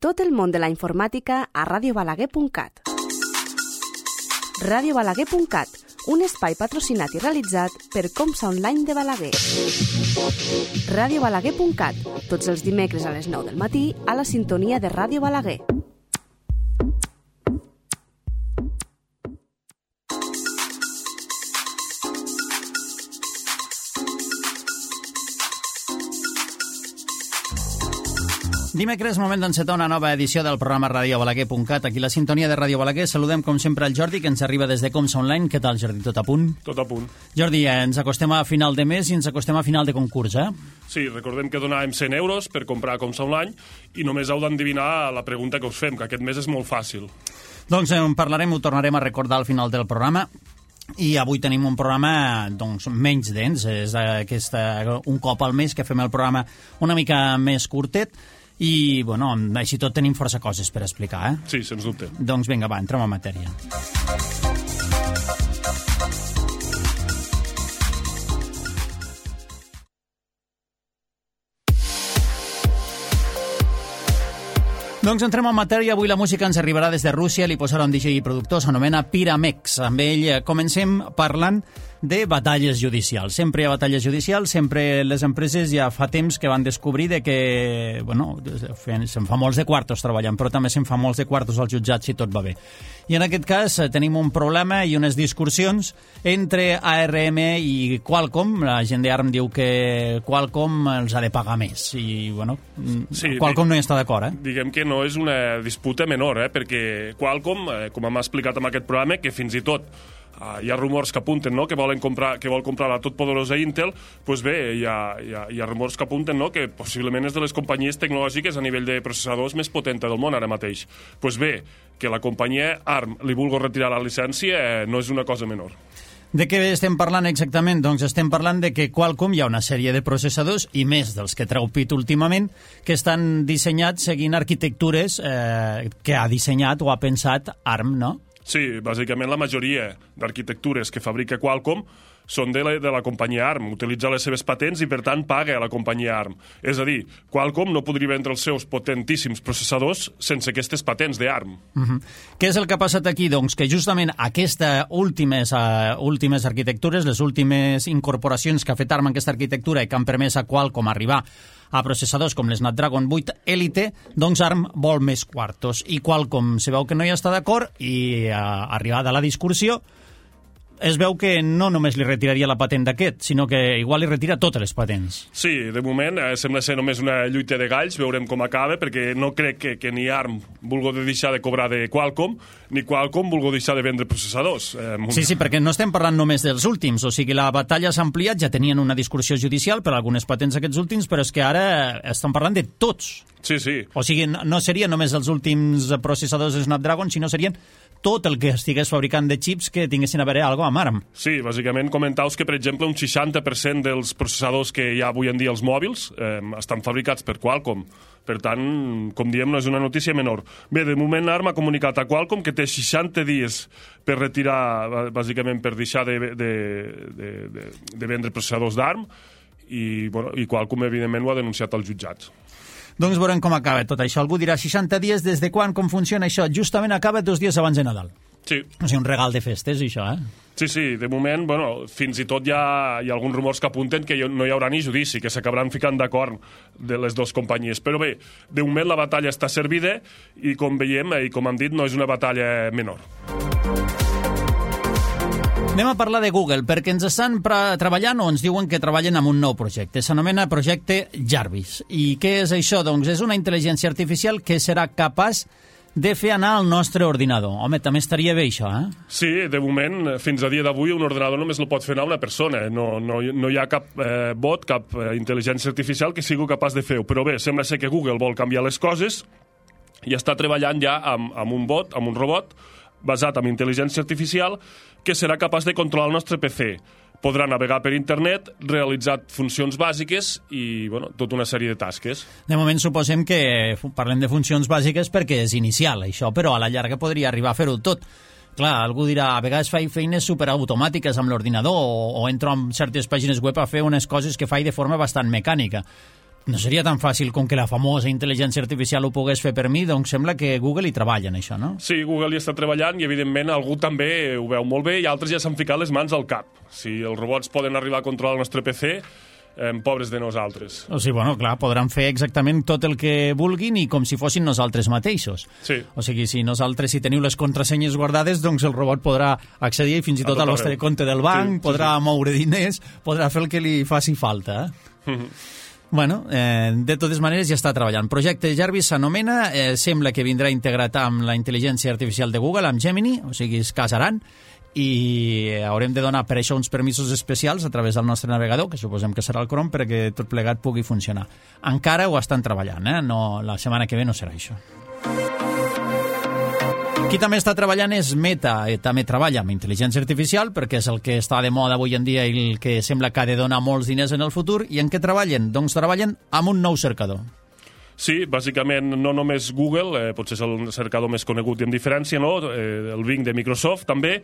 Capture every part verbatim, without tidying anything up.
Tot el món de la informàtica a ràdio balaguer punt cat. ràdio balaguer punt cat, un espai patrocinat i realitzat per Comsa Online de Balaguer. ràdio balaguer punt cat, tots els dimecres a les nou del matí a la sintonia de Ràdio Balaguer. Dimecres, moment d'encetar una nova edició del programa ràdio balaguer punt cat. Aquí la sintonia de Ràdio Balaguer. Saludem, com sempre, el Jordi, que ens arriba des de Comsa Online. Què tal, Jordi? Tot a punt? Tot a punt. Jordi, ens acostem a final de mes i ens acostem a final de concurs, eh? Sí, recordem que donàvem cent euros per comprar Comsa Online i només heu d'endevinar la pregunta que us fem, que aquest mes és molt fàcil. Doncs en parlarem, ho tornarem a recordar al final del programa. I avui tenim un programa doncs, menys dens. És aquesta, un cop al mes que fem el programa una mica més curtet. I, bueno, així tot tenim força coses per explicar, eh? Sí, sens dubte. Doncs vinga, va, entrem en matèria. Doncs entrem en matèria. Avui la música ens arribarà des de Rússia. Li posarà un D J i productor, s'anomena Pyramex. Amb ell comencem parlant de batalles judicials. Sempre hi ha batalles judicials, sempre les empreses ja fa temps que van descobrir de que, bueno, se'n fa molts de quartos treballant, però també se'n fa molts de quartos als jutjats si tot va bé. I en aquest cas tenim un problema i unes discussions entre A R M i Qualcomm. La gent d'Arm diu que Qualcomm els ha de pagar més i, bueno, sí, Qualcomm no hi està d'acord, eh? Diguem que no és una disputa menor, eh? Perquè Qualcomm, eh, com hem explicat en aquest programa, que fins i tot Uh, hi ha rumors que apunten, no?, que volen comprar, que vol comprar la totpoderosa Intel. Pues bé, hi ha, hi ha, hi ha rumors que apunten, no?, que possiblement és de les companyies tecnològiques a nivell de processadors més potenta del món ara mateix. Pues bé, que la companyia Arm li vulgui retirar la llicència eh, no és una cosa menor. De què estem parlant exactament? Doncs estem parlant de que Qualcomm hi ha una sèrie de processadors, i més dels que treu pit últimament, que estan dissenyats seguint arquitectures eh, que ha dissenyat o ha pensat Arm, no? Sí, bàsicament la majoria d'arquitectures que fabrica Qualcomm són de la, de la companyia Arm, utilitza les seves patents i, per tant, paga a la companyia Arm. És a dir, Qualcomm no podria vendre els seus potentíssims processadors sense aquestes patents d'Arm. Uh-huh. Què és el que ha passat aquí? Doncs que justament aquestes últimes, uh, últimes arquitectures, les últimes incorporacions que ha fet Arm en aquesta arquitectura i que han permès a Qualcomm arribar a processadors com l'Snapdragon vuit Elite, doncs Arm vol més quartos. I Qualcomm se veu que no hi està d'acord i, uh, arribada a la discussió, es veu que no només li retiraria la patent d'aquest, sinó que igual li retira totes les patents. Sí, de moment eh, sembla ser només una lluita de galls, veurem com acaba, perquè no crec que, que ni Arm vulgui deixar de cobrar de Qualcomm, ni Qualcomm vulgui deixar de vendre processadors. Eh, sí, sí, perquè no estem parlant només dels últims, o sigui, la batalla s'ha ampliat, ja tenien una discussió judicial per algunes patents aquests últims, però és que ara estan parlant de tots. Sí, sí. O sigui, no serien només els últims processadors de Snapdragon, sinó serien tot el que estigués fabricant de xips que tinguessin a veure alguna cosa amb Arm. Sí, bàsicament comentaus que, per exemple, un seixanta per cent dels processadors que hi ha avui en dia als mòbils eh, estan fabricats per Qualcomm. Per tant, com diem, no és una notícia menor. Bé, de moment Arm ha comunicat a Qualcomm que té seixanta dies per retirar, bàsicament per deixar de, de, de, de, de vendre processadors d'Arm i, bueno, i Qualcomm, evidentment, ho ha denunciat als jutjats. Doncs veurem com acaba tot això. Algú dirà seixanta dies des de quan, com funciona això? Justament acaba dos dies abans de Nadal. Sí. O sigui, un regal de festes, això, eh? Sí, sí, de moment, bueno, fins i tot hi ha, hi ha alguns rumors que apunten que no hi haurà ni judici, que s'acabaran ficant d'acord de les dues companyies. Però bé, de moment la batalla està servida i, com veiem, i com hem dit, no és una batalla menor. Anem a parlar de Google, perquè ens estan treballant o ens diuen que treballen amb un nou projecte. S'anomena projecte Jarvis. I què és això? Doncs és una intel·ligència artificial que serà capaç de fer anar al nostre ordinador. Home, també estaria bé això, eh? Sí, de moment, fins a dia d'avui, un ordinador només el pot fer anar una persona. No, no, no hi ha cap eh, bot, cap eh, intel·ligència artificial que sigui capaç de fer-ho. Però bé, sembla ser que Google vol canviar les coses i està treballant ja amb, amb un bot, amb un robot, basat en intel·ligència artificial, que serà capaç de controlar el nostre P C. Podrà navegar per internet, realitzar funcions bàsiques i, bueno, tota una sèrie de tasques. De moment suposem que parlem de funcions bàsiques perquè és inicial, això, però a la llarga podria arribar a fer-ho tot. Clar, algú dirà, a vegades faig feines superautomàtiques amb l'ordinador o, o entro en certes pàgines web a fer unes coses que faig de forma bastant mecànica. no seria tan fàcil com que la famosa intel·ligència artificial ho pogués fer per mi, doncs sembla que Google hi treballa en això, no? Sí, Google hi està treballant i, evidentment, algú també ho veu molt bé i altres ja s'han ficat les mans al cap. Si els robots poden arribar a controlar el nostre P C, eh, pobres de nosaltres. O sigui, bueno, clar, podran fer exactament tot el que vulguin i com si fossin nosaltres mateixos. Sí. O sigui, si nosaltres, si teniu les contrasenyes guardades, doncs el robot podrà accedir i fins i tot al vostre compte del banc, sí, podrà sí, sí. moure diners, podrà fer el que li faci falta, eh? Bueno, eh, de totes maneres ja està treballant. Projecte Jarvis s'anomena, eh, sembla que vindrà integrat amb la intel·ligència artificial de Google, amb Gemini, o sigui, es casaran, i haurem de donar per això uns permisos especials a través del nostre navegador, que suposem que serà el Chrome, perquè tot plegat pugui funcionar. Encara ho estan treballant, eh? No, la setmana que ve no serà això. Qui també està treballant és Meta, i també treballa amb intel·ligència artificial perquè és el que està de moda avui en dia i el que sembla que ha de donar molts diners en el futur. I en què treballen? Doncs treballen amb un nou cercador. Sí, bàsicament no només Google, eh, potser és el cercador més conegut i amb diferència, no? Eh, el Bing de Microsoft també,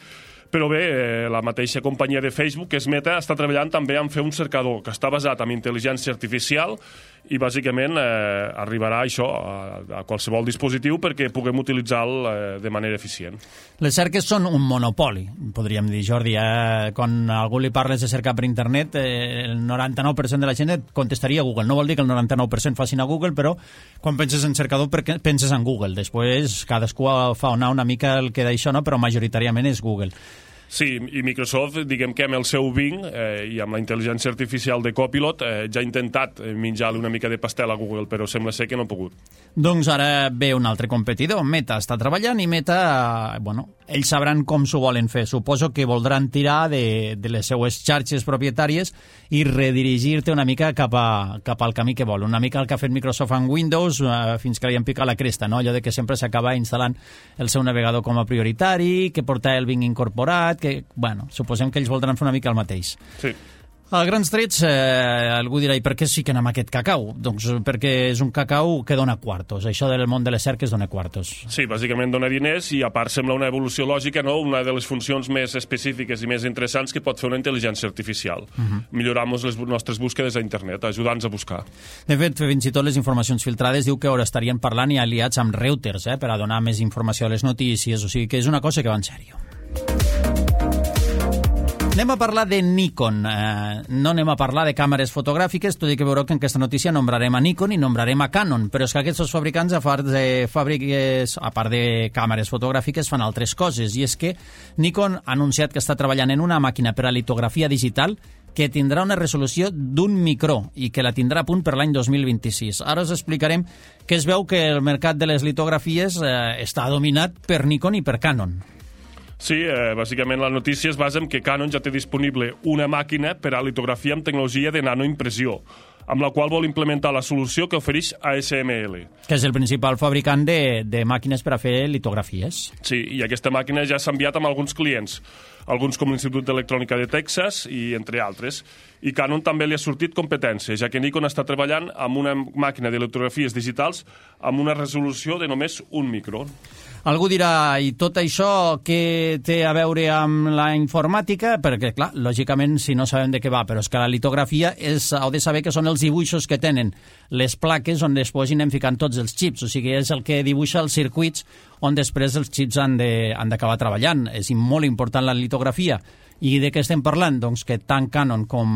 però bé, eh, la mateixa companyia de Facebook, que és Meta, està treballant també en fer un cercador que està basat en intel·ligència artificial i bàsicament eh, arribarà això a, a qualsevol dispositiu perquè puguem utilitzar-lo eh, de manera eficient. Les cerques són un monopoli, podríem dir, Jordi. Eh? Quan a algú li parles de cercar per internet, eh, el noranta-nou per cent de la gent et contestaria Google. No vol dir que el noranta-nou per cent facin a Google, però quan penses en cercador penses en Google. Després cadascú fa anar una mica el que d'això, no? Però majoritàriament és Google. Sí, i Microsoft, diguem que amb el seu Bing eh, i amb la intel·ligència artificial de Copilot eh, ja ha intentat menjar-li una mica de pastel a Google, però sembla ser que no ha pogut. Doncs ara ve un altre competidor. Meta està treballant i Meta, eh, bueno, ells sabran com s'ho volen fer. Suposo que voldran tirar de, de les seues xarxes propietàries i redirigir-te una mica cap, a, cap al camí que vol. Una mica el que ha fet Microsoft en Windows eh, fins que li han picat la cresta, no? Allò de que sempre s'acaba instal·lant el seu navegador com a prioritari, que porta el Bing incorporat, que, bueno, suposem que ells voldran fer una mica el mateix. Sí. A grans trets, eh, algú dirà, i per què es fiquen amb aquest cacau? Doncs perquè és un cacau que dona quartos. Això del món de les cerques dona quartos. Sí, bàsicament dona diners i a part sembla una evolució lògica, no? Una de les funcions més específiques i més interessants que pot fer una intel·ligència artificial. Uh-huh. Millorar les nostres búsquedes a internet, ajudar-nos a buscar. De fet, fins i tot les informacions filtrades diu que ara estarien parlant i aliats amb Reuters, eh, per a donar més informació a les notícies, o sigui que és una cosa que va en sèrio. Anem a parlar de Nikon. Eh, no anem a parlar de càmeres fotogràfiques, tot i que veureu que en aquesta notícia nombrarem a Nikon i nombrarem a Canon, però és que aquests fabricants, a part de fàbriques, a part de càmeres fotogràfiques, fan altres coses, i és que Nikon ha anunciat que està treballant en una màquina per a litografia digital que tindrà una resolució d'un micró i que la tindrà a punt per l'any dos mil vint-i-sis. Ara us explicarem que es veu que el mercat de les litografies eh, està dominat per Nikon i per Canon. Sí, eh, bàsicament la notícia es basa en que Canon ja té disponible una màquina per a litografia amb tecnologia de nanoimpressió, amb la qual vol implementar la solució que ofereix A S M L. Que és el principal fabricant de, de màquines per a fer litografies. Sí, i aquesta màquina ja s'ha enviat amb alguns clients, alguns com l'Institut d'Electrònica de Texas i entre altres. I Canon també li ha sortit competència, ja que Nikon està treballant amb una màquina de litografies digitals amb una resolució de només un micró. Algú dirà, i tot això què té a veure amb la informàtica? Perquè, clar, lògicament, si no sabem de què va, però és que la litografia és, heu de saber que són els dibuixos que tenen les plaques on després anem ficant tots els xips, o sigui, és el que dibuixa els circuits on després els xips han de, han d'acabar treballant. És molt important la litografia. I de què estem parlant? Doncs que tant Canon com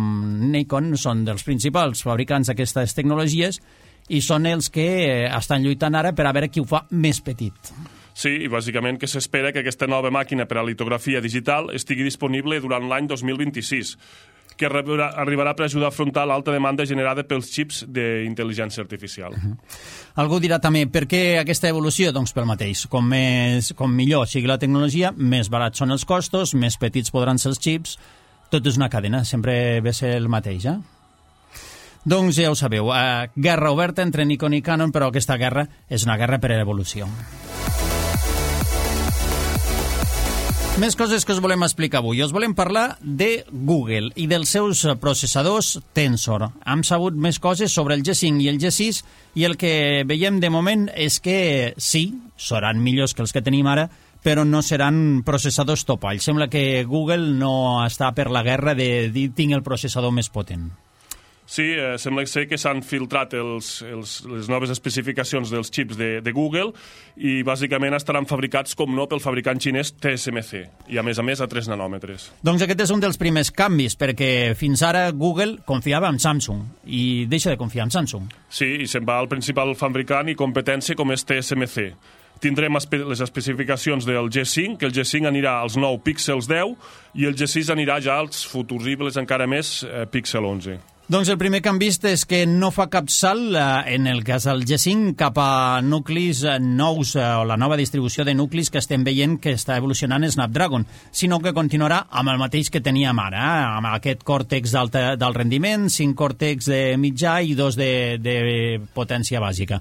Nikon són dels principals fabricants d'aquestes tecnologies i són els que estan lluitant ara per a veure qui ho fa més petit. Sí, i bàsicament que s'espera que aquesta nova màquina per a litografia digital estigui disponible durant l'any dos mil vint-i-sis, que arribarà, arribarà per ajudar a afrontar l'alta demanda generada pels xips d'intel·ligència artificial. Uh-huh. Algú dirà també, per què aquesta evolució? Doncs pel mateix. Com, més, com millor sigui la tecnologia, més barats són els costos, més petits podran ser els xips. Tot és una cadena, sempre ve ser el mateix, eh? Doncs ja ho sabeu, eh, guerra oberta entre Nikon i Canon, però aquesta guerra és una guerra per a l'evolució. Més coses que us volem explicar avui. Us volem parlar de Google i dels seus processadors Tensor. Hem sabut més coses sobre el G cinc i el G sis i el que veiem de moment és que sí, seran millors que els que tenim ara, però no seran processadors topall. Sembla que Google no està per la guerra de dir tinc el processador més potent. Sí, eh, sembla ser que s'han filtrat els, els, les noves especificacions dels xips de, de Google i bàsicament estaran fabricats, com no, pel fabricant xinès T S M C i a més a més a tres nanòmetres. Doncs aquest és un dels primers canvis, perquè fins ara Google confiava en Samsung i deixa de confiar en Samsung. Sí, i se'n va al principal fabricant i competència com és T S M C. Tindrem espe les especificacions del G cinc, que el G cinc anirà als nou Pixels deu i el G sis anirà ja als futuribles encara més eh, Pixel onze. Doncs el primer que han vist és que no fa cap salt, eh, en el cas del G cinc, cap a nuclis eh, nous eh, o la nova distribució de nuclis que estem veient que està evolucionant Snapdragon, sinó que continuarà amb el mateix que teníem ara, eh, amb aquest Cortex d'alt rendiment, cinc Cortex de mitjà i dos de, de potència bàsica.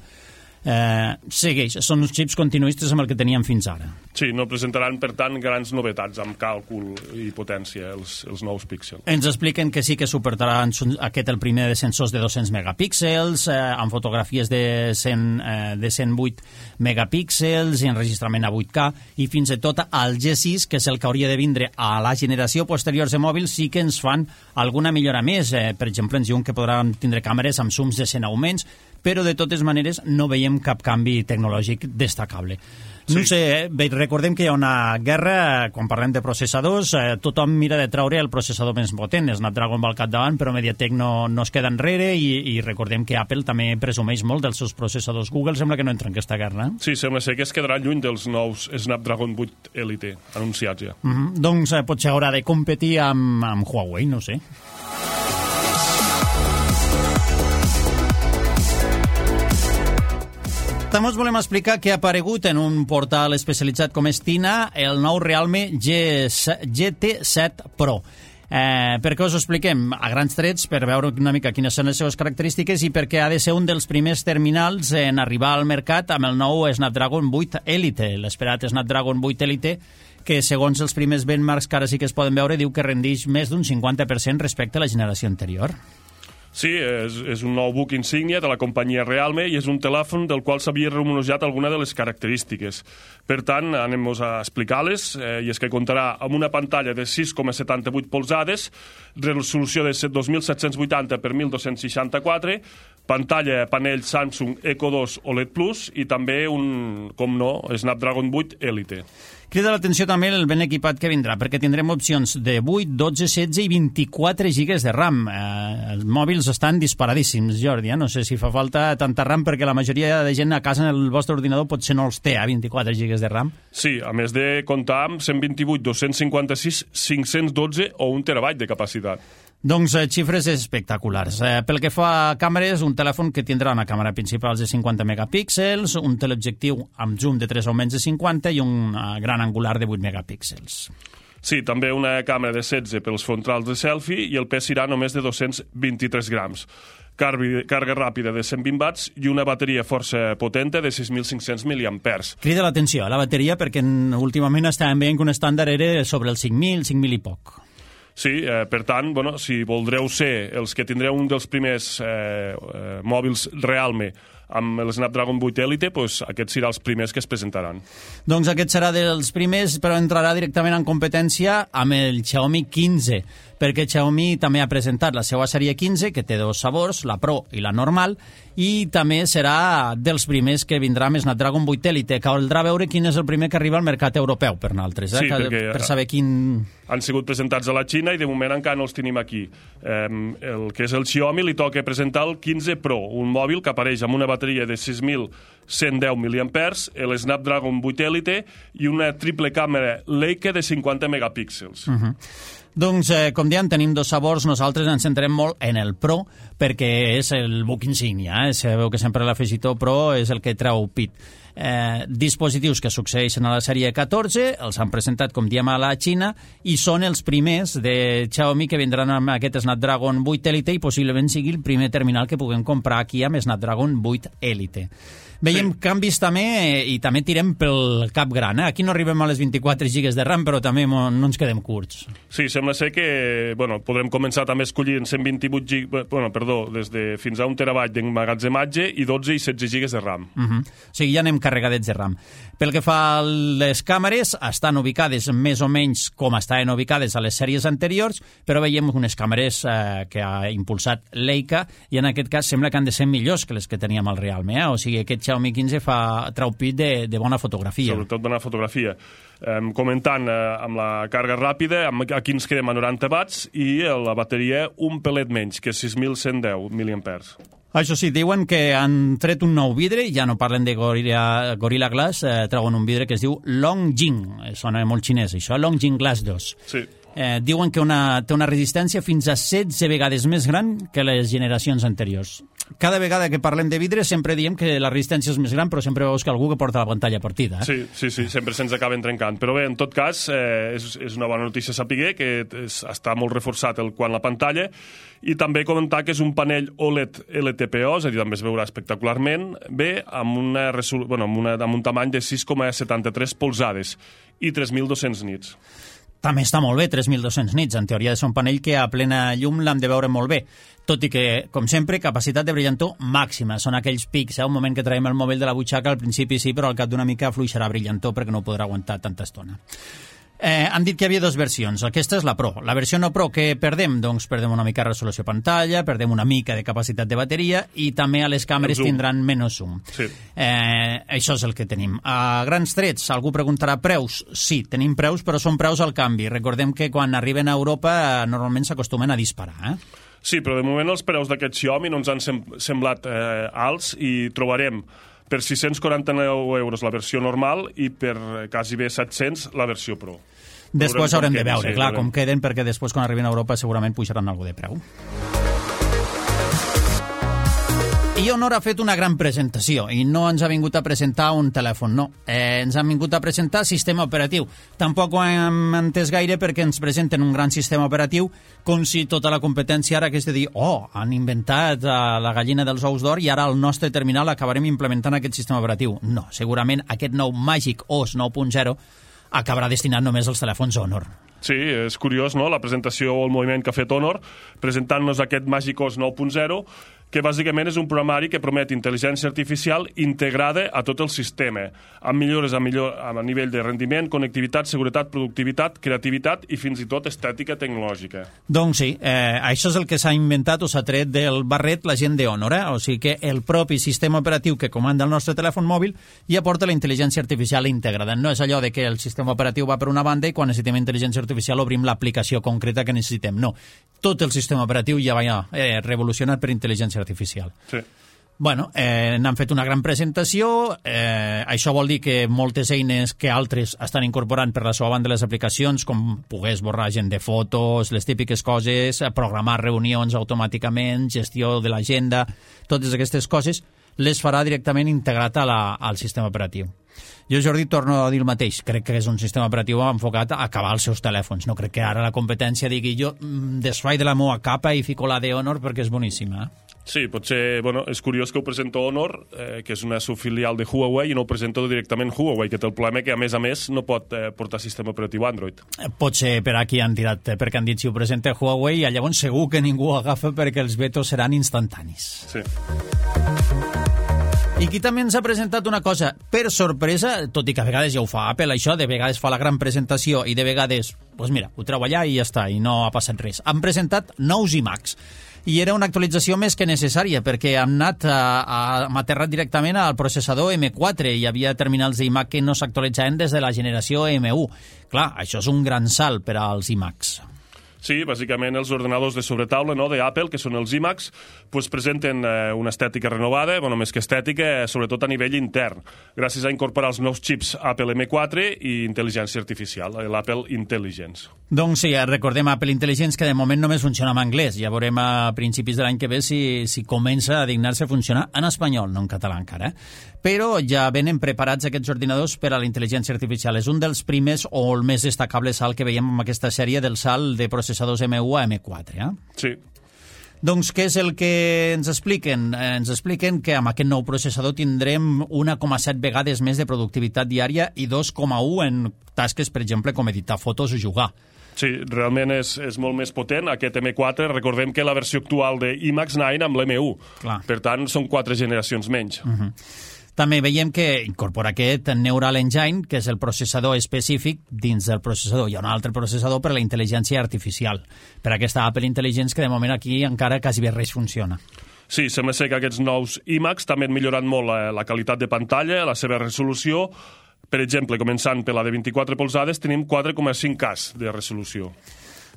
Eh, segueix, són uns xips continuistes amb el que teníem fins ara. Sí, no presentaran, per tant, grans novetats amb càlcul i potència, els, els nous píxels. Ens expliquen que sí que suportaran aquest el primer de sensors de dos-cents megapíxels, eh, amb fotografies de, cent, eh, de cent vuit megapíxels i enregistrament a vuit K, i fins i tot al G sis, que és el que hauria de vindre a la generació posterior de mòbils, sí que ens fan alguna millora més. Eh, per exemple, ens diuen que podran tindre càmeres amb zooms de cent augments, però de totes maneres no veiem cap canvi tecnològic destacable. Sí. No sé, eh? Recordem que hi ha una guerra, quan parlem de processadors, eh, tothom mira de traure el processador més potent, Snapdragon va al capdavant, però MediaTek no, no es queda enrere, i, i recordem que Apple també presumeix molt dels seus processadors. Google sembla que no entra en aquesta guerra. Eh? Sí, sembla ser que es quedarà lluny dels nous Snapdragon vuit Elite anunciats ja. Mm -hmm. Doncs eh, potser haurà de competir amb, amb Huawei, no sé. També us volem explicar que ha aparegut en un portal especialitzat com és Tina el nou Realme G T set Pro. Eh, per què us ho expliquem? A grans trets, per veure una mica quines són les seves característiques i perquè ha de ser un dels primers terminals en arribar al mercat amb el nou Snapdragon vuit Elite, l'esperat Snapdragon vuit Elite, que segons els primers benchmarks que ara sí que es poden veure, diu que rendeix més d'un cinquanta per cent respecte a la generació anterior. Sí, és, és un nou buc insígnia de la companyia Realme i és un telèfon del qual s'havia rumorejat alguna de les característiques. Per tant, anem-nos a explicar-les, eh, i és que comptarà amb una pantalla de sis coma setanta-vuit polzades, resolució de dos mil set-cents vuitanta per mil dos-cents seixanta-quatre, pantalla panell Samsung Eco dos O L E D Plus i també un, com no, Snapdragon vuit Elite. Crida l'atenció també el ben equipat que vindrà, perquè tindrem opcions de vuit, dotze, setze i vint-i-quatre gigas de RAM. Eh, els mòbils estan disparadíssims, Jordi, eh? No sé si fa falta tanta RAM, perquè la majoria de gent a casa en el vostre ordinador potser no els té, a vint-i-quatre gigas de RAM. Sí, a més de comptar amb cent vint-i-vuit, dos-cents cinquanta-sis, cinc-cents dotze o un terabyte de capacitat. Doncs eh, xifres espectaculars. Eh, pel que fa a càmeres, un telèfon que tindrà una càmera principal de cinquanta megapíxels, un teleobjectiu amb zoom de tres augments de cinquanta i un uh, gran angular de vuit megapíxels. Sí, també una càmera de setze pels frontals de selfie i el pes serà només de dos-cents vint-i-tres grams. Carbi, càrrega ràpida de cent vint watts i una bateria força potenta de sis mil cinc-cents miliampers. Crida l'atenció a la bateria perquè últimament estàvem veient que un estàndard era sobre els cinc mil, cinc mil i poc. Sí, eh, per tant, bueno, si voldreu ser els que tindreu un dels primers eh, eh, mòbils Realme amb el Snapdragon vuit Elite, pues, aquests seran els primers que es presentaran. Doncs aquest serà dels primers, però entrarà directament en competència amb el Xiaomi quinze, perquè Xiaomi també ha presentat la seva sèrie quinze, que té dos sabors, la Pro i la normal, i també serà dels primers que vindrà amb Snapdragon vuit Elite. Caldrà veure quin és el primer que arriba al mercat europeu per nosaltres, eh? Sí, perquè per saber quin... han sigut presentats a la Xina i de moment encara no els tenim aquí. Eh, el que és el Xiaomi li toca presentar el quinze Pro, un mòbil que apareix amb una bateria de sis mil cent deu miliampers, el Snapdragon vuit Elite i una triple càmera Leica de cinquanta megapíxels. Uh -huh. Doncs, eh, com diem, tenim dos sabors. Nosaltres ens centrem molt en el Pro, perquè és el buc insígnia. Eh? Sabeu que sempre l'afegitó Pro és el que treu pit. Eh, dispositius que succeeixen a la sèrie catorze, els han presentat, com diem, a la Xina, i són els primers de Xiaomi que vindran amb aquest Snapdragon vuit Elite i possiblement sigui el primer terminal que puguem comprar aquí amb Snapdragon vuit Elite. Veiem Sí. canvis també i també tirem pel cap gran. Eh? Aquí no arribem a les vint-i-quatre gigas de RAM, però també mo- no ens quedem curts. Sí, sembla ser que bueno, podrem començar també escollint cent vint-i-vuit gigas, bueno, perdó, des de fins a un terabyte d'emmagatzematge i dotze i setze gigas de RAM. Uh -huh. O sigui, ja anem carregadets de RAM. Pel que fa a les càmeres, estan ubicades més o menys com estaven ubicades a les sèries anteriors, però veiem unes càmeres eh, que ha impulsat Leica i en aquest cas sembla que han de ser millors que les que teníem al Realme. Eh? O sigui, aquest Xiaomi quinze fa trau pit de, de bona fotografia. Sobretot bona fotografia. Um, comentant uh, amb la càrrega ràpida, amb, aquí ens quedem a noranta watts i la bateria un pelet menys, que sis mil cent deu miliampers. Això sí, diuen que han tret un nou vidre, ja no parlen de Gorilla, Gorilla Glass, eh, treuen un vidre que es diu Longjing, eh, sona molt xinès això, Longjing Glass dos. Sí. Eh, diuen que una, té una resistència fins a setze vegades més gran que les generacions anteriors. Cada vegada que parlem de vidre sempre diem que la resistència és més gran, però sempre veus que algú que porta la pantalla partida. Eh? Sí, sí, sí, sempre se'ns acaben trencant. Però bé, en tot cas, eh, és, és una bona notícia saber que és, està molt reforçat el quant la pantalla i també comentar que és un panell O L E D L T P O, és a dir, també es veurà espectacularment bé, amb, una resol... bueno, amb, una, amb un tamany de sis coma setanta-tres polzades i tres mil dos-cents nits. També està molt bé, tres mil dos-cents nits. En teoria és un panell que a plena llum l'hem de veure molt bé. Tot i que, com sempre, capacitat de brillantor màxima. Són aquells pics, eh? Un moment que traiem el mòbil de la butxaca, al principi sí, però al cap d'una mica fluixarà brillantor perquè no podrà aguantar tanta estona. Eh, han dit que hi havia dues versions. Aquesta és la Pro. La versió no Pro, què perdem? Doncs perdem una mica de resolució pantalla, perdem una mica de capacitat de bateria i també a les càmeres tindran menys zoom. Sí. Eh, això és el que tenim. A grans trets, algú preguntarà preus. Sí, tenim preus, però són preus al canvi. Recordem que quan arriben a Europa eh, normalment s'acostumen a disparar. Eh? Sí, però de moment els preus d'aquest Xiaomi no ens han sem semblat eh, alts i trobarem per sis-cents quaranta-nou euros la versió normal i per quasi bé set-cents la versió Pro. Després haurem de veure, sí, clar, veurem. com queden, perquè després quan arribin a Europa segurament pujaran algú de preu. I Honor ha fet una gran presentació i no ens ha vingut a presentar un telèfon, no. Eh, ens han vingut a presentar sistema operatiu. Tampoc ho hem entès gaire perquè ens presenten un gran sistema operatiu com si tota la competència ara hagués de dir oh, han inventat eh, la gallina dels ous d'or i ara al nostre terminal acabarem implementant aquest sistema operatiu. No, segurament aquest nou Magic O S nou punt zero acabarà destinat només als telèfons Honor. Sí, és curiós, no?, la presentació o el moviment que ha fet Honor presentant-nos aquest Magic O S nou punt zero, que bàsicament és un programari que promet intel·ligència artificial integrada a tot el sistema, amb millores a, millor, a nivell de rendiment, connectivitat, seguretat, productivitat, creativitat i fins i tot estètica tecnològica. Doncs sí, eh, això és el que s'ha inventat o s'ha tret del barret la gent de Honor, eh? O sigui que el propi sistema operatiu que comanda el nostre telèfon mòbil ja porta la intel·ligència artificial integrada. No és allò de que el sistema operatiu va per una banda i quan necessitem intel·ligència artificial obrim l'aplicació concreta que necessitem. No, tot el sistema operatiu ja va eh, revolucionat per intel·ligència artificial. Sí. Bueno, eh, n'han fet una gran presentació, eh, això vol dir que moltes eines que altres estan incorporant per la seva banda les aplicacions, com poder esborrar gent de fotos, les típiques coses, programar reunions automàticament, gestió de l'agenda, totes aquestes coses, les farà directament integrat a la, al sistema operatiu. Jo, Jordi, torno a dir el mateix. Crec que és un sistema operatiu enfocat a acabar els seus telèfons. No crec que ara la competència digui jo desfai de la meva capa i fico la de Honor perquè és boníssima. Sí, potser, bueno, és curiós que ho presenta Honor, eh, que és una subfilial de Huawei, i no ho presenta directament Huawei, que té el problema que, a més a més, no pot eh, portar sistema operatiu Android. Potser per aquí han tirat, eh, perquè han dit si ho presenta Huawei, i llavors segur que ningú ho agafa perquè els vetos seran instantanis. Sí. I aquí també ens ha presentat una cosa per sorpresa, tot i que a vegades ja ho fa Apple, això, de vegades fa la gran presentació i de vegades, doncs mira, ho treu allà i ja està, i no ha passat res. Han presentat nous iMacs. I era una actualització més que necessària, perquè hem anat a, a, hem aterrat directament al processador eme quatre. Hi havia terminals d'iMac que no s'actualitzaven des de la generació eme u. Clar, això és un gran salt per als iMacs. Sí, bàsicament els ordenadors de sobretaula, no?, d'Apple, que són els iMacs, pues presenten eh, una estètica renovada, bueno, més que estètica, sobretot a nivell intern, gràcies a incorporar els nous xips Apple eme quatre i intel·ligència artificial, l'Apple Intelligence. Doncs sí, recordem Apple Intelligence, que de moment només funciona en anglès. Ja veurem a principis de l'any que ve si, si comença a dignar-se a funcionar en espanyol, no en català encara. Eh? Però ja venen preparats aquests ordinadors per a la intel·ligència artificial. És un dels primers o el més destacable salt que veiem en aquesta sèrie del salt de processadors eme u a eme quatre. Eh? Sí. Doncs què és el que ens expliquen? Eh, ens expliquen que amb aquest nou processador tindrem una coma set vegades més de productivitat diària i dos coma u en tasques, per exemple, com editar fotos o jugar. Sí, realment és, és molt més potent. Aquest eme quatre, recordem que la versió actual de iMax nou amb l'eme u. Clar. Per tant, són quatre generacions menys. Uh-huh. També veiem que incorpora aquest Neural Engine, que és el processador específic dins del processador. Hi ha un altre processador per a la intel·ligència artificial, per aquesta Apple Intelligence, que de moment aquí encara quasi bé res funciona. Sí, sembla ser que aquests nous iMax també han millorat molt la, la qualitat de pantalla, la seva resolució. Per exemple, començant per la de vint-i-quatre polzades, tenim quatre coma cinc K de resolució.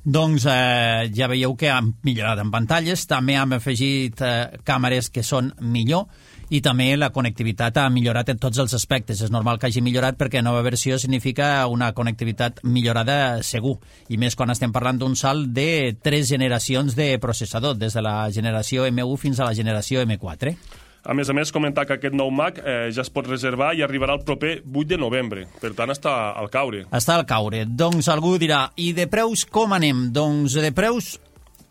Doncs eh, ja veieu que han millorat en pantalles, també han afegit eh, càmeres que són millor, i també la connectivitat ha millorat en tots els aspectes. És normal que hagi millorat perquè nova versió significa una connectivitat millorada segur, i més quan estem parlant d'un salt de tres generacions de processador, des de la generació eme u fins a la generació eme quatre. A més a més, comentar que aquest nou Mac eh, ja es pot reservar i arribarà el proper vuit de novembre. Per tant, està al caure. Està al caure. Doncs algú dirà, i de preus com anem? Doncs de preus,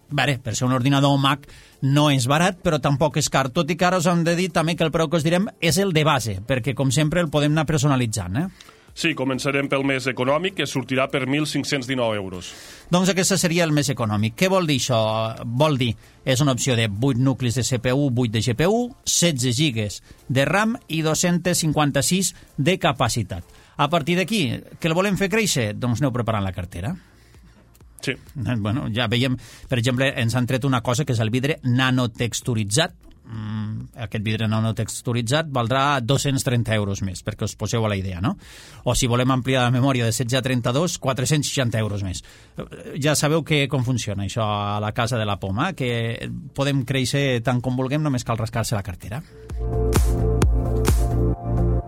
bé, per ser un ordinador Mac no és barat, però tampoc és car. Tot i que ara us hem de dir també que el preu que us direm és el de base, perquè com sempre el podem anar personalitzant, eh? Sí, començarem pel més econòmic, que sortirà per mil cinc-cents dinou euros. Doncs aquest seria el més econòmic. Què vol dir això? Vol dir, és una opció de vuit nuclis de ce pe u, vuit de ge pe u, setze gigas de RAM i dos-cents cinquanta-sis de capacitat. A partir d'aquí, què el volem fer créixer? Doncs aneu preparant la cartera. Sí. Bueno, ja veiem, per exemple, ens han tret una cosa que és el vidre nanotexturitzat. Mm, aquest vidre nanotexturitzat valdrà dos-cents trenta euros més, perquè us poseu a la idea, no? O si volem ampliar la memòria de setze a trenta-dos, quatre-cents seixanta euros més. Ja sabeu que, com funciona això a la casa de la Poma, que podem créixer tant com vulguem, només cal rascar-se la cartera.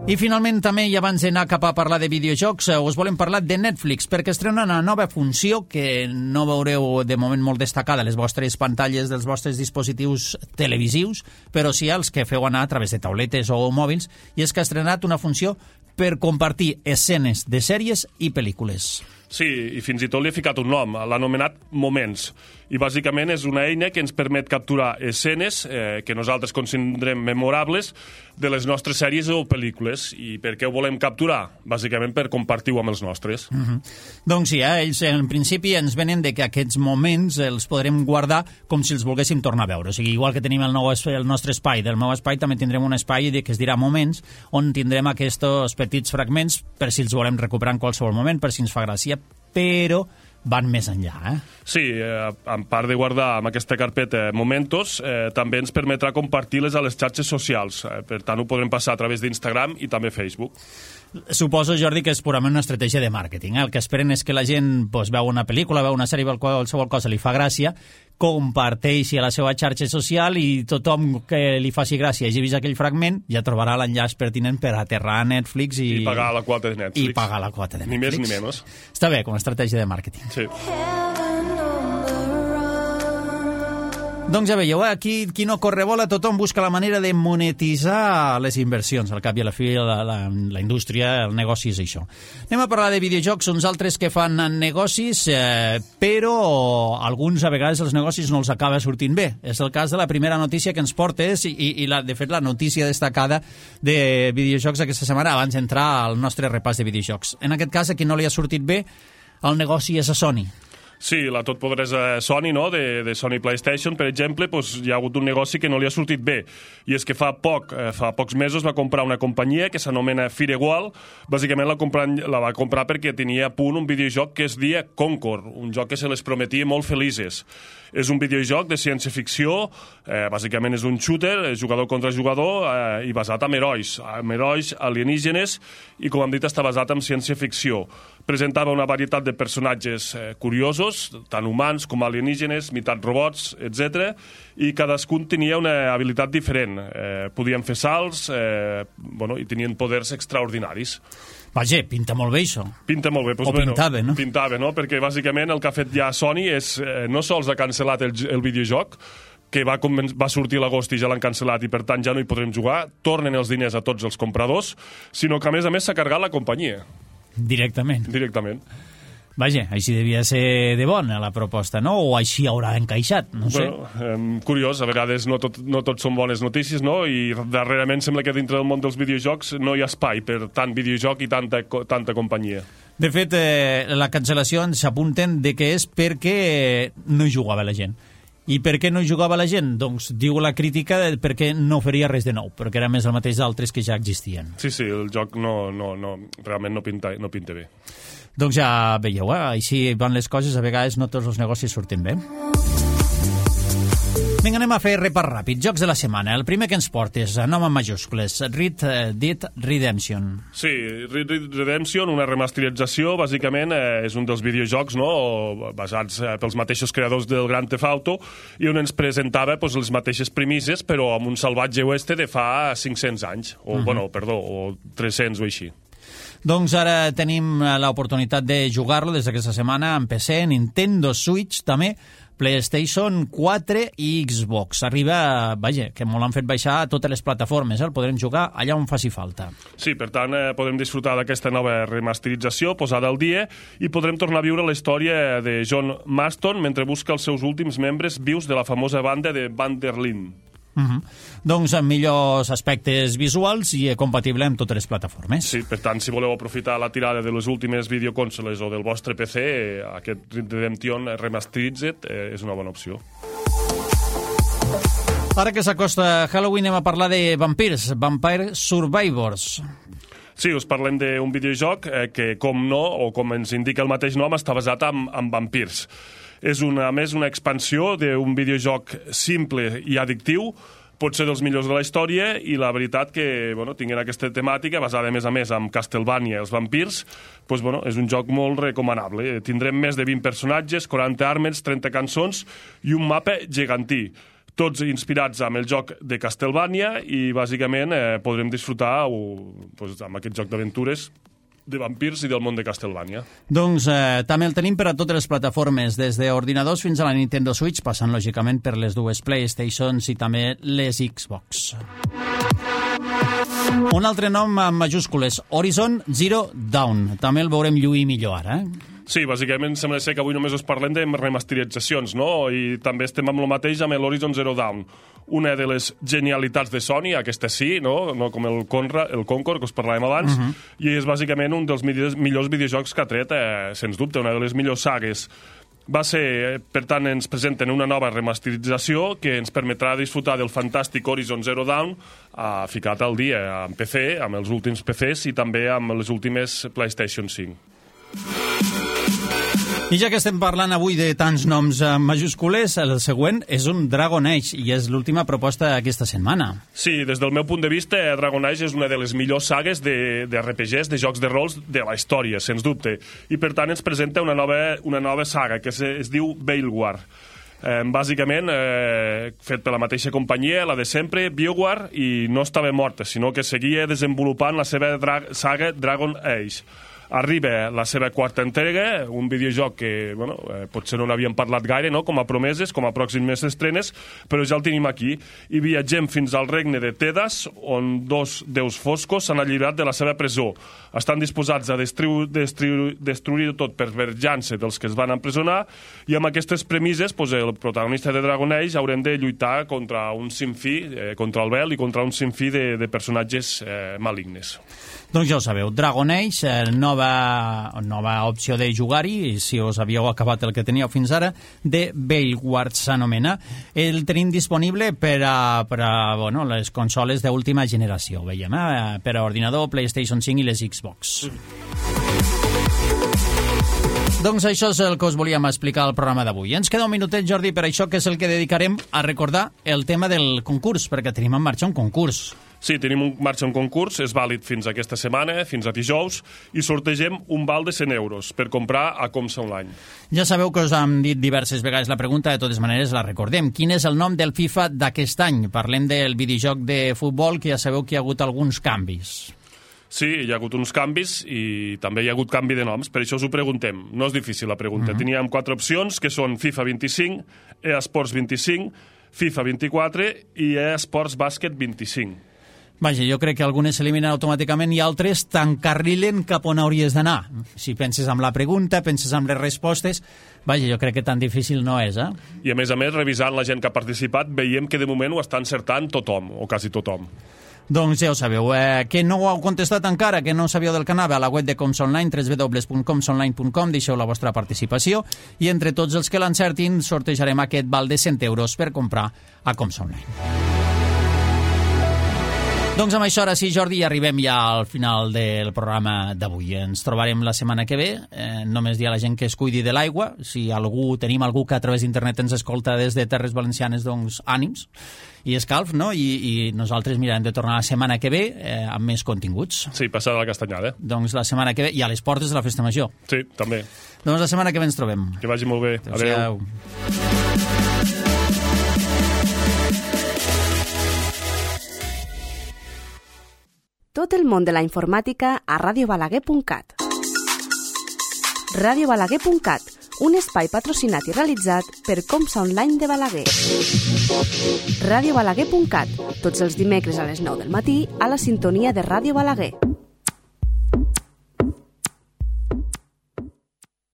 I finalment també, i abans d'anar cap a parlar de videojocs, us volem parlar de Netflix, perquè estrena una nova funció que no veureu de moment molt destacada a les vostres pantalles dels vostres dispositius televisius, però sí als que feu anar a través de tauletes o mòbils, i és que ha estrenat una funció per compartir escenes de sèries i pel·lícules. Sí, i fins i tot li he ficat un nom, l'ha anomenat Moments, i bàsicament és una eina que ens permet capturar escenes eh, que nosaltres considerem memorables de les nostres sèries o pel·lícules. I per què ho volem capturar? Bàsicament per compartir-ho amb els nostres. Mm-hmm. Doncs sí, eh? ells en principi ens venen de que aquests moments els podrem guardar com si els volguéssim tornar a veure. O sigui, igual que tenim el, nou, el nostre espai, del meu espai també tindrem un espai que es dirà Moments, on tindrem aquests petits fragments per si els volem recuperar en qualsevol moment, per si ens fa gràcia, però van més enllà, eh? Sí, eh, a part de guardar amb aquesta carpeta Momentos, eh, també ens permetrà compartir-les a les xarxes socials. Eh, per tant, ho podrem passar a través d'Instagram i també Facebook. Suposo, Jordi, que és purament una estratègia de màrqueting. Eh? El que esperen és que la gent pues, veu una pel·lícula, veu una sèrie, qualsevol cosa li fa gràcia, comparteixi a la seva xarxa social i tothom que li faci gràcia hagi vist aquell fragment ja trobarà l'enllaç pertinent per aterrar a Netflix i, I pagar la quota de Netflix. I pagar la quota de Netflix. Ni més ni menys. Està bé, com a estratègia de màrqueting. Sí. Doncs ja veieu, eh? aquí qui no corre bola, tothom busca la manera de monetitzar les inversions. Al cap i a la fi, la, la, la indústria, el negoci és això. Anem a parlar de videojocs, uns altres que fan negocis, eh, però alguns a vegades els negocis no els acaba sortint bé. És el cas de la primera notícia que ens portes i, i la, de fet la notícia destacada de videojocs aquesta setmana abans d'entrar al nostre repàs de videojocs. En aquest cas, a qui no li ha sortit bé, el negoci és a Sony. Sí, la totpoderosa Sony, no? de, de Sony PlayStation, per exemple, pues, hi ha hagut un negoci que no li ha sortit bé. I és que fa poc, eh, fa pocs mesos va comprar una companyia que s'anomena Firewall. Bàsicament la, comprar, la va comprar perquè tenia a punt un videojoc que es deia Concord, un joc que se les prometia molt felices. És un videojoc de ciència-ficció, eh, bàsicament és un shooter, jugador contra jugador, eh, i basat en herois, en herois alienígenes, i com hem dit està basat en ciència-ficció. Presentava una varietat de personatges eh, curiosos, tant humans com alienígenes, meitat robots, etcètera, i cadascun tenia una habilitat diferent. Eh, podien fer salts, eh, bueno, i tenien poders extraordinaris. Vaja, pinta molt bé, això. Pinta molt bé. Pues, o bueno, pintava, no? Pintava, no? Perquè, bàsicament, el que ha fet ja Sony és, eh, no sols ha cancel·lat el, el videojoc, que va, va sortir a l'agost i ja l'han cancel·lat i, per tant, ja no hi podrem jugar, tornen els diners a tots els compradors, sinó que, a més a més, s'ha carregat la companyia. Directament. Directament. Vaja, així devia ser de bona la proposta, no? O així haurà encaixat, no sé. Bueno, eh, curiós, a vegades no tot, no tot són bones notícies, no? I darrerament sembla que dintre del món dels videojocs no hi ha espai per tant videojoc i tanta, tanta companyia. De fet, eh, la cancel·lació s'apunten de que és perquè no hi jugava la gent. I per què no hi jugava la gent? Doncs diu la crítica de perquè no faria res de nou, perquè era més el mateix d'altres que ja existien. Sí, sí, el joc no, no, no, realment no pinta, no pinta bé. Doncs ja veieu, eh? Així van les coses, a vegades no tots els negocis surten bé. Vinga, anem a fer repàs ràpid. Jocs de la setmana. El primer que ens portes, nom en majúscules, Red Dead Redemption. Sí, Red Dead Redemption, una remasterització, bàsicament eh, és un dels videojocs, no?, basats eh, pels mateixos creadors del Grand Theft Auto, i on ens presentava pues, les mateixes premisses, però amb un salvatge oeste de fa cinc-cents anys, o, uh-huh. bueno, perdó, o tres-cents o així. Doncs ara tenim l'oportunitat de jugar-lo des d'aquesta setmana en P C, Nintendo Switch també, PlayStation quatre i Xbox. Arriba, vaja, que molt han fet baixar a totes les plataformes, eh? El podrem jugar allà on faci falta. Sí, per tant, eh, podrem disfrutar d'aquesta nova remasterització posada al dia i podrem tornar a viure la història de John Marston mentre busca els seus últims membres vius de la famosa banda de Van der Linde. Uh-huh. Doncs amb millors aspectes visuals i compatible amb totes les plataformes. Sí, per tant, si voleu aprofitar la tirada de les últimes videoconsoles o del vostre P C, aquest Redemption Remasterized eh, és una bona opció. Ara que s'acosta Halloween anem a parlar de vampirs, Vampire Survivors. Sí, us parlem d'un videojoc eh, que, com no, o com ens indica el mateix nom, està basat en, en vampirs. És, una, a més, una expansió d'un videojoc simple i addictiu, pot ser dels millors de la història, i la veritat que, bueno, tinguent aquesta temàtica, basada, a més a més, en Castlevania, els vampirs, doncs, bueno, és un joc molt recomanable. Tindrem més de vint personatges, quaranta armes, trenta cançons i un mapa gegantí. Tots inspirats amb el joc de Castlevania i, bàsicament, eh, podrem disfrutar o, doncs, amb aquest joc d'aventures de vampirs i del món de Castlevania. Doncs eh, també el tenim per a totes les plataformes, des d'ordinadors fins a la Nintendo Switch, passant lògicament per les dues PlayStations i també les Xbox. Un altre nom en majúscules, Horizon Zero Dawn. També el veurem lluir millor ara, eh? Sí, bàsicament sembla ser que avui només us parlem de remasteritzacions, no? I també estem amb el mateix amb l'Horizon Zero Dawn. Una de les genialitats de Sony, aquesta sí, no, no com el, Conra, el Concord, que us parlàvem abans, uh-huh. i és bàsicament un dels millors, millors videojocs que ha tret, eh, sens dubte, una de les millors sagues. Va ser, per tant, ens presenten una nova remasterització que ens permetrà disfrutar del fantàstic Horizon Zero Dawn eh, ficat al dia amb P C, amb els últims P Cs i també amb les últimes PlayStation cinc. I ja que estem parlant avui de tants noms majúscules, el següent és un Dragon Age i és l'última proposta d'aquesta setmana. Sí, des del meu punt de vista, Dragon Age és una de les millors sagues de, de R P Gs, de jocs de rols de la història, sens dubte. I per tant ens presenta una nova, una nova saga que es, es diu Veilguard. Eh, bàsicament, eh, fet per la mateixa companyia, la de sempre, BioWare, i no estava morta, sinó que seguia desenvolupant la seva dra saga Dragon Age. Arriba la seva quarta entrega, un videojoc que, bueno, eh, potser no n'havíem parlat gaire, no?, com a promeses, com a pròximes estrenes, però ja el tenim aquí. I viatgem fins al regne de Tedas, on dos déus foscos s'han alliberat de la seva presó. Estan disposats a destruir, destruir, destruir tot per venjança dels que es van empresonar, i amb aquestes premisses, pues, el protagonista de Dragon Age haurem de lluitar contra un sinfí, eh, contra el Vel i contra un sinfí de, de personatges eh, malignes. Doncs ja ho sabeu, Dragon Age, eh, nova, nova opció de jugar-hi, si us havíeu acabat el que teníeu fins ara, de Veilguard s'anomena. El tenim disponible per a, per a bueno, les consoles d'última generació, veiem, eh? Per a ordinador, PlayStation cinc i les Xbox. Doncs això és el que us volíem explicar al programa d'avui. Ens queda un minutet, Jordi, per això, que és el que dedicarem a recordar el tema del concurs, perquè tenim en marxa un concurs. Sí, tenim un marxa un concurs, és vàlid fins aquesta setmana, fins a dijous, i sortegem un val de cent euros per comprar a Comsa Online. Ja sabeu que us hem dit diverses vegades la pregunta, de totes maneres la recordem. Quin és el nom del FIFA d'aquest any? Parlem del videojoc de futbol, que ja sabeu que hi ha hagut alguns canvis. Sí, hi ha hagut uns canvis i també hi ha hagut canvi de noms, per això us ho preguntem. No és difícil la pregunta. Uh-huh. Teníem quatre opcions, que són FIFA vint-i-cinc, eSports vint-i-cinc, FIFA vint-i-quatre i eSports Bàsquet vint-i-cinc. Vaja, jo crec que algunes s'eliminen automàticament i altres t'encarrilen cap on hauries d'anar. Si penses amb la pregunta, penses amb les respostes, vaja, jo crec que tan difícil no és, eh? I a més a més, revisant la gent que ha participat, veiem que de moment ho està encertant tothom, o quasi tothom. Doncs ja ho sabeu, eh, que no ho heu contestat encara, que no sabíeu del que anava, a la web de Coms Online, w w w punt coms online punt com, deixeu la vostra participació i entre tots els que l'encertin sortejarem aquest val de cent euros per comprar a Coms Online. Doncs amb això, ara sí, Jordi, arribem ja al final del programa d'avui. Ens trobarem la setmana que ve. Eh, només dir a la gent que es cuidi de l'aigua. Si algú tenim algú que a través d'internet ens escolta des de Terres Valencianes, doncs ànims i escalf, no? I, i nosaltres mirarem de tornar la setmana que ve eh, amb més continguts. Sí, passada la castanyada. Doncs la setmana que ve, i a les portes de la Festa Major. Sí, també. Doncs la setmana que ve ens trobem. Que vagi molt bé. Adéu. Adéu. Tot el món de la informàtica a ràdio balaguer punt cat. ràdio balaguer punt cat, un espai patrocinat i realitzat per Comsa Online de Balaguer. ràdio balaguer punt cat, tots els dimecres a les nou del matí a la sintonia de Ràdio Balaguer.